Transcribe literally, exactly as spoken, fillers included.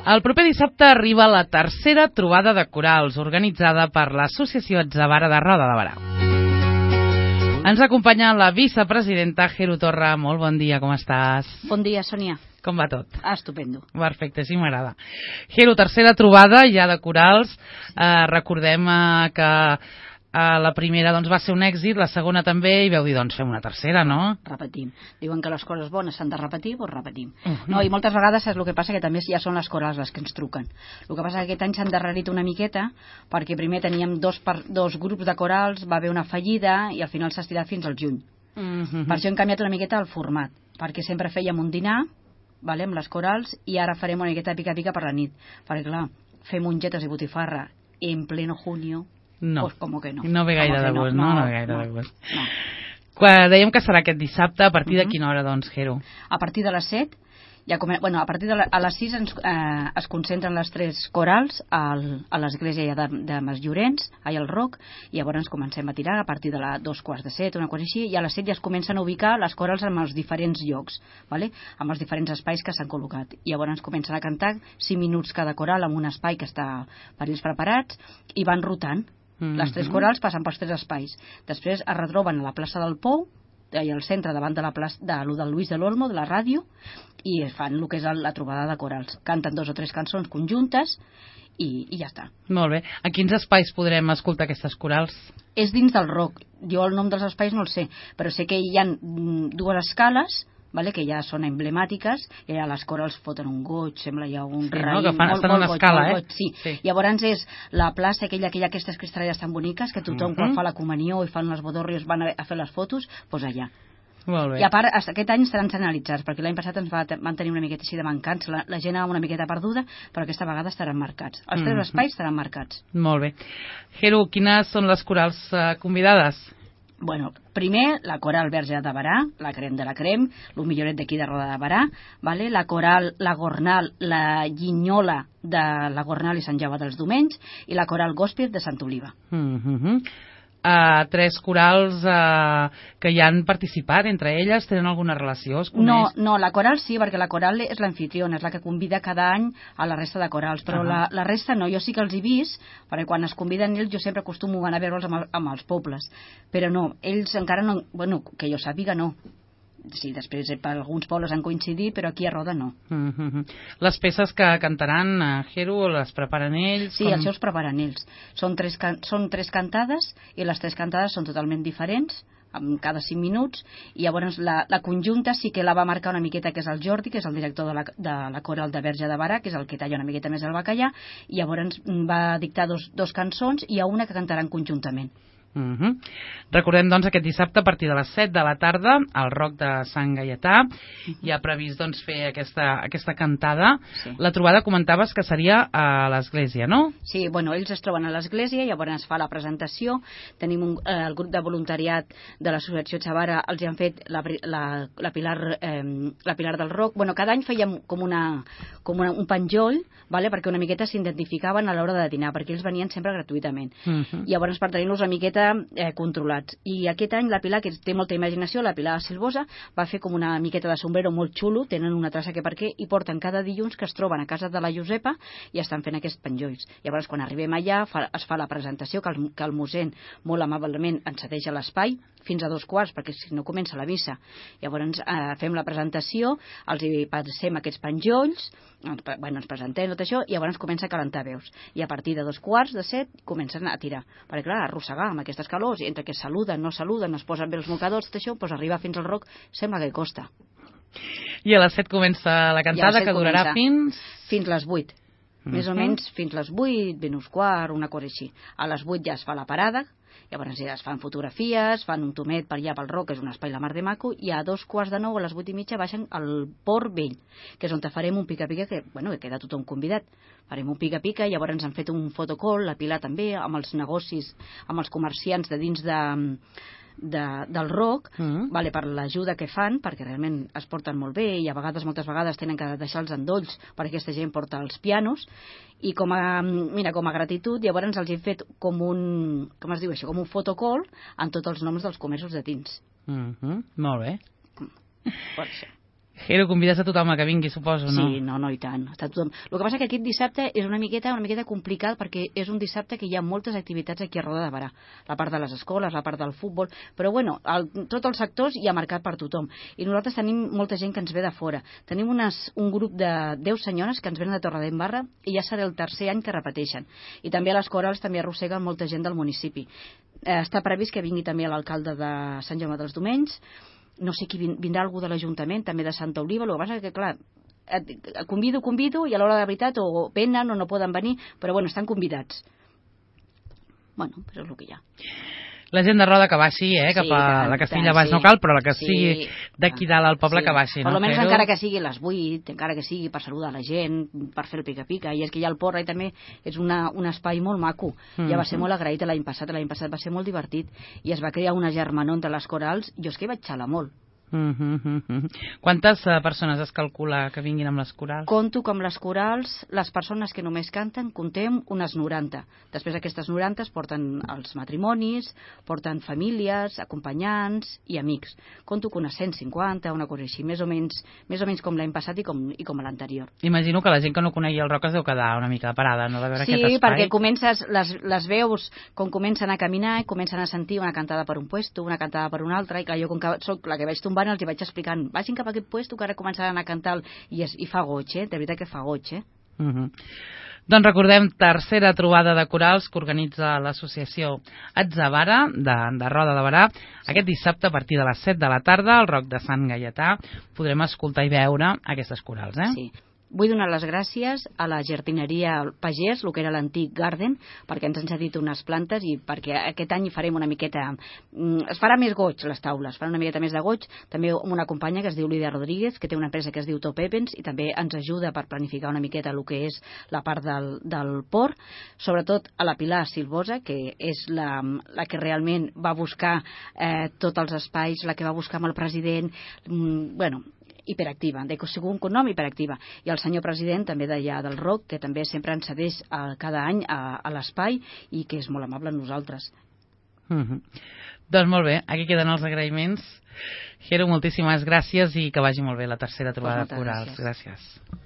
El proper dissabte arriba la tercera trobada de corals organitzada per l'Associació Atzavara de Roda de Barà. Ens acompanya la vicepresidenta Jero Torra. Molt bon dia, com estàs? Bon dia, Sònia. Com va tot? Ah, estupendo. Perfecte, sí m'agrada. Jero, tercera trobada ja de corals. Eh, recordem eh, que eh, la primera doncs, va ser un èxit, la segona també, i veu dir, doncs fem una tercera, no? Repetim. Diuen que les coses bones s'han de repetir, doncs repetim. Uh -huh. No, i moltes vegades és el que passa, que també ja són les corals les que ens truquen. El que passa que aquest any s'han endarrerit una miqueta, perquè primer teníem dos, per, dos grups de corals, va haver una fallida, i al final s'ha estirat fins al juny. Uh -huh. Per això hem canviat una miqueta el format, perquè sempre fèiem un dinar, vale, amb les corals, i ara farem una miqueta pica-pica per la nit. Perquè, clar, fer mongetes i botifarra en pleno junio, no. Pues com que no. No ve gaire de gust, no? No, no ve gaire no, de gust. No. Quan dèiem que serà aquest dissabte, a partir de quina hora, doncs, Jero? A partir de les set, ja come... bueno, a partir de la... a les sis ens, eh, es concentren les tres corals al... a l'església de, de Mas Llorenç, allà al Roc, i llavors ens comencem a tirar a partir de la dos quarts de set, una cosa així, i a les set ja es comencen a ubicar les corals en els diferents llocs, vale? Amb els diferents espais que s'han col·locat. I llavors ens comencen a cantar cinc minuts cada coral en un espai que està per ells preparats, i van rotant. Mm-hmm. Les tres corals passen pels tres espais. Després es retroben a la plaça del Pou, allà al centre, davant de la plaça de, lo del Luis de l'Olmo, de la ràdio, i fan el que és la trobada de corals. Canten dos o tres cançons conjuntes i, i ja està. Molt bé. A quins espais podrem escoltar aquestes corals? És dins del Roc. Jo el nom dels espais no el sé, però sé que hi ha dues escales, vale, que ja són emblemàtiques, i allà les corals foten un goig, sembla ja un sí, raïm, no, que fan, molt, molt, molt una goig, escala, molt eh? goig, sí. sí. Llavors és la plaça aquella que hi ha aquestes cristalleres tan boniques, que tothom uh -huh. quan fa la comunió i fan les bodorrios van a, a fer les fotos, doncs allà. Molt bé. I a part, aquest any estaran senyalitzats, perquè l'any passat ens va, van tenir una miqueta així de mancats, la, la gent anava una miqueta perduda, però aquesta vegada estaran marcats. Els tres uh -huh. espais estaran marcats. Molt bé. Jero, quines són les corals uh, convidades? Bueno, primer, la coral Verge de Barà, la crem de la crem, el milloret d'aquí de Roda de Barà, vale? La coral La Gornal, la Llinyola de la Gornal i Sant Jaume dels Domenys, i la coral Gòspir de Sant Oliva. Mm -hmm. uh, tres corals uh, que hi han participat, entre elles, tenen alguna relació? Es no, no, la coral sí, perquè la coral és l'anfitriona, és la que convida cada any a la resta de corals, però uh -huh. la, la resta no, jo sí que els he vist, perquè quan es conviden ells jo sempre acostumo a anar a veure'ls amb, amb els pobles, però no, ells encara no, bueno, que jo sàpiga no. Sí, després per alguns pobles han coincidit, però aquí a Roda no. Uh -huh. Les peces que cantaran a Jero les preparen ells? Sí, com... els seus preparen ells. Són tres, can... són tres cantades, i les tres cantades són totalment diferents, amb cada cinc minuts, i llavors la, la conjunta sí que la va marcar una miqueta, que és el Jordi, que és el director de la, de la coral de Verge de Barà, que és el que talla una miqueta més el bacallà, i llavors va dictar dos, dos cançons, i hi ha una que cantaran conjuntament. Uh -huh. Recordem, doncs, aquest dissabte a partir de les set de la tarda al Roc de Sant Gaietà. Uh -huh. Hi ha previst, doncs, fer aquesta, aquesta cantada. Sí. La trobada comentaves que seria a l'església, no? Sí, bueno, ells es troben a l'església, llavors es fa la presentació. Tenim un, eh, el grup de voluntariat de l'Associació Atzavara, els hi han fet la, la, la, Pilar, eh, la Pilar del Roc. Bueno, cada any fèiem com, una, com una, un penjoll, vale? Perquè una miqueta s'identificaven a l'hora de dinar, perquè ells venien sempre gratuïtament. Uh -huh. Llavors, per tenir-los una miqueta Eh, controlats. I aquest any la Pilar, que té molta imaginació, la Pilar Silvosa, va fer com una miqueta de sombrero molt xulo, tenen una traça que per què, i porten cada dilluns que es troben a casa de la Josepa i estan fent aquests penjolls. Llavors, quan arribem allà, fa, es fa la presentació, que el, que el mossèn molt amablement ens cedeix a l'espai, fins a dos quarts, perquè si no comença la missa. Llavors eh, fem la presentació, els hi passem aquests penjolls, ens, bueno, ens presentem tot això, i llavors comença a calentar veus. I a partir de dos quarts de set comencen a tirar. Perquè, clar, arrossegar amb aquestes calors, i entre que saluden, no saluden, es posen bé els mocadors, tot això, doncs arribar fins al Roc sembla que costa. I a les set comença la cantada, que durarà fins... Fins les vuit. Mm-hmm. Més o menys fins les vuit, menys quart, una cosa així. A les vuit ja es fa la parada, llavors ja es fan fotografies, fan un tomet per allà pel Roc, que és un espai la mar de maco, i a dos quarts de nou, a les vuit i mitja, baixen al Port Vell, que és on farem un pica-pica, que, bueno, que queda tothom convidat. Farem un pica-pica, llavors ens han fet un fotocall, la Pilar també, amb els negocis, amb els comerciants de dins de... De, del Roc, mm. vale, per l'ajuda que fan, perquè realment es porten molt bé, i a vegades, moltes vegades, tenen que deixar els endolls perquè aquesta gent porta els pianos, i com a, mira, com a gratitud, llavors els he fet com un, com es diu això, com un fotocall amb tots els noms dels comerços de dins. Mm -hmm. Molt bé. Per això. Jero, convides a tothom a que vingui, suposo, no? Sí, no, no, i tant. Està tothom. El que passa que aquest dissabte és una miqueta una miqueta complicat perquè és un dissabte que hi ha moltes activitats aquí a Roda de Barà. La part de les escoles, la part del futbol, però bueno, el, tots els sectors hi ha marcat per tothom. I nosaltres tenim molta gent que ens ve de fora. Tenim unes, un grup de deu senyores que ens venen de Torredembarra i ja serà el tercer any que repeteixen. I també a les corals també arrosseguen molta gent del municipi. Eh, està previst que vingui també l'alcalde de Sant Jaume dels Domenys. No sé qui vindrà, algú de l'Ajuntament, també de Santa Oliva. El que passa que, clar, convido, convido, i a l'hora de veritat o venen o no poden venir, però bueno, estan convidats. Bueno, però és el que hi ha. La gent de Roda que baixi, eh? Cap a sí, la Castilla Baix sí. No cal, però la que sí. sigui d'aquí dalt al poble sí. que baixi. Per no? almenys encara que sigui a les vuit, encara que sigui per saludar la gent, per fer el pica-pica, i és que ja el Port i també és una, un espai molt maco. Mm-hmm. Ja va ser molt agraït l'any passat, l'any passat va ser molt divertit, i es va crear una germanor entre les corals, jo és que hi vaig xalar molt. Mm-hmm. Quantes uh, persones es calcula que vinguin amb les corals? Conto que amb les corals, les persones que només canten, contem unes noranta. Després aquestes noranta porten els matrimonis, porten famílies, acompanyants i amics. Conto que unes cent cinquanta, una cosa així, més o menys, més o menys com l'any passat i com, i com l'anterior. Imagino que la gent que no conegui el rock es deu quedar una mica parada, no? De veure sí, aquest espai. perquè comences, les, les veus, com comencen a caminar, i comencen a sentir una cantada per un puesto, una cantada per un altre, i clar, jo com que soc la que vaig tombar els hi vaig explicant, vagin cap a aquest puesto que ara començaran a cantar i, es, i fa goig, eh? De veritat que fa goig, eh? Uh-huh. Doncs recordem, tercera trobada de corals que organitza l'associació Atzavara de, de Roda de Barà. Aquest dissabte a partir de les set de la tarda al Roc de Sant Gaietà podrem escoltar i veure aquestes corals, eh? Sí. Vull donar les gràcies a la jardineria Pagès, el que era l'antic Garden, perquè ens han cedit unes plantes i perquè aquest any farem una miqueta... Es farà més goig, les taules, farà una miqueta més de goig. També amb una companya que es diu Lídia Rodríguez, que té una empresa que es diu Top Events, i també ens ajuda per planificar una miqueta el que és la part del, del port. Sobretot a la Pilar Silvosa, que és la, la que realment va buscar eh, tots els espais, la que va buscar amb el president... Mm, bueno... hiperactiva, de segon cognom hiperactiva, i el senyor president també d'allà del R O C, que també sempre ens cedeix a, cada any a, a l'espai i que és molt amable amb nosaltres. Mm-hmm. Doncs molt bé, aquí queden els agraïments. Jero, moltíssimes gràcies i que vagi molt bé la tercera trobada de corals. Gràcies. gràcies.